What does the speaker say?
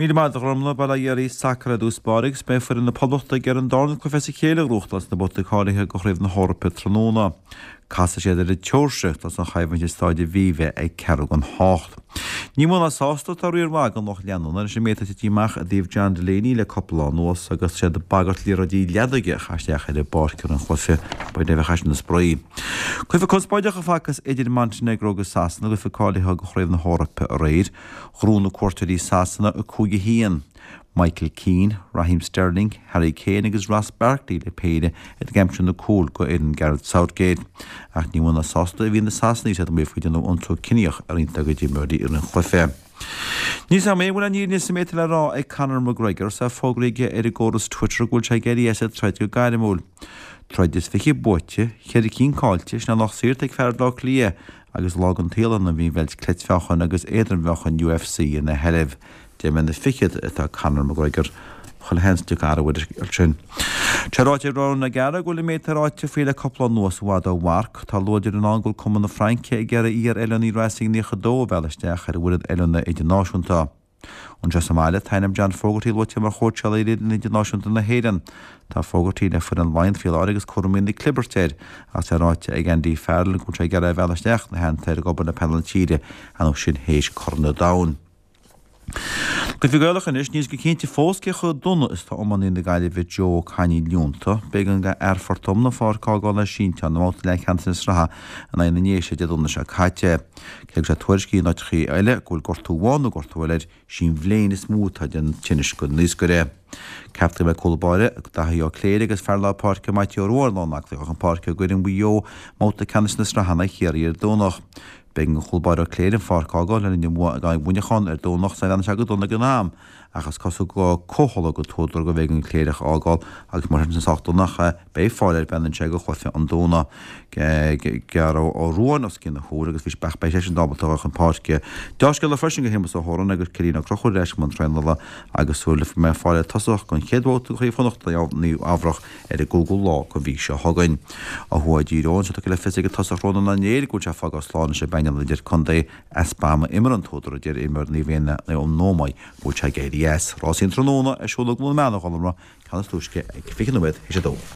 Míle maith agat a Ghormfhlaith, bail ó Dhia oraibh, sacar i dtús báire agus beidh foireann na Poblachta ag iarraidh an darna cluiche as a chéile a ghnóthachtáil sna babhtaí cáilithe do Chraobh na hEorpa tráthnóna. Casfaidh siad ar an tSeoirsia ag tús an choimhlint i Stáid Aviva ag ceathrú don hocht. Ní mó ná sásta atá riar maith den lucht leanúna leis an méid atá tite amach i dtaobh John Delaney le cúpla lá anuas agus siad ag bagairt liathróidí leadóige a chaitheamh isteach ar an bpáirc roimh an chluiche. B'fhéidir a bheadh eisean ina spraoi. Cluiche conspóideach a facthas idir Montenegro agus Sasana i gcluiche cáilithe do Chraobh na hEorpa aréir. Ghnóthaigh na cuairteoirí Sasana 5-1. Michael Keane, Raheem Sterling, Harry Kane agus Ross Barkley le péire ag aimsiú na cúil go fhoireann Gareth Southgate. Ach ní mó ná sásta a bhí na Sasanaigh is iad ag maíomh gur déanadh iontú ciníoch ar roinnt dá gcuid imreoirí i rith an chluiche. Níl 's agam an bhfuil an fhírinne sa méid atá le rá ag Conor McGregor is é fógraithe aige ar an gcóras Twitter go bhfuil sé ag éirí as an troid go gairmiúil. Troid is 20 buaite, cheithre cinn caillte, sin é an lucht saothair atá ag fear Bhaile Átha Cliath agus lá den tsaol ann a bhí an bheilt cleitmheáchain agus éadrom-mheáchain UFC ina sheilbh. 10 mbliana fichead atá Conor McGregor. Chuile sheans go dtiocfaidh athrú ar an scéal sin. Tá ráite ag Ronan O'Gara go bhfuil an méid atá ráite faoi le cúpla lá anuas i bhfad ó mharc. Tá luaidreamh ann go bhfuil Cumann na Fraince ag iarraidh iar-oiliúnaí Racing 92 a mhealladh isteach ar an bhfoireann oiliúna idirnáisiúnta. Anseo sa mbaile, tá ainm John Fogarty luaite mar chóitseálaí ar fhoireann idirnáisiúnta na hÉireann. Tá Fogarty le foireann Laighean faoi láthair agus cúraimí na clibirt air, ach tá ráite ag Andy Farrell go bhfuil sé ag iarraidh é a mhealladh isteach ina theannta ar ag obair le painéal na tíre, nó sin théis Corn an Domhain. Cluichí Gaelacha anois, níl a fhios go cinnte fós cé chomh dona is atá iománaí na Gaillimhe Joe Ó Cainín leonta. B'éigean do fhear Phort Omna an pháirc a fhágáil le sínteán i mbabhta leathcheannais na sraithe in aghaidh na nDéise Dé Domhnaigh seo caite. Cé go bhfuil sé tuairiscithe in áiteachaí eile go bhfuil gortú amháin nó gortú eile air, sí an bhléin is mó atá ag déanamh tinnis don naoscaire. Ceaptar go mbeidh cúl báire Daithí Ó Cléirigh agus fear lár páirce Maitiú Ó Ruadháin lán aclaí chun páirce i gcoinne Mhaigh Eo i mbabhta ceannais na sraithe in aghaidh Chiarraí ar Domhnach. B'éigean don chúl báire Ó Cléirigh an pháirc a fhágáil le linn an bhua in aghaidh Mhuineacháin ar Domhnach is bhreathnaigh sé go dona ag an am ach is cosúil go comhthoil an t-údar gurbh éigean an Cléireach a fhágáil agus mar sin sách dona ach beidh fáil air breathnaíonn sé do chluiche an Domhnaigh. Gearradh Ó Ruadháin os cionn a shúil agus bhí ach beidh seisean ábalta a dhul chun páirce. Deá-scéala freisin do Shéamus Ó hÓráin agus Cillian Ó Conchúir ar ais i mbun traenála agus súil le go mbeidh fáil ar tosach don chéad bhabhta de Chraobh Chonnacht i Nua Eabhrac ar an gcúigiú lá den mhí seo chugainn. Ó thuaidh i dTír Eoghain, tá tugtha le fios ag an tosach Rónán Ó Néill go bhfuil sé ag fágáil slán leis an bpainéal idirchontae. Easpa ama imeartha an t-údar a deir imreoir Naomh Éanna ón Ómaigh go bhfuil sé ag éirí as. Rásaí an tráthnóna ar siúl i gCluain Meala a Ghormfhlaith, ceann is túisce ag 20 nóiméad théis a dó.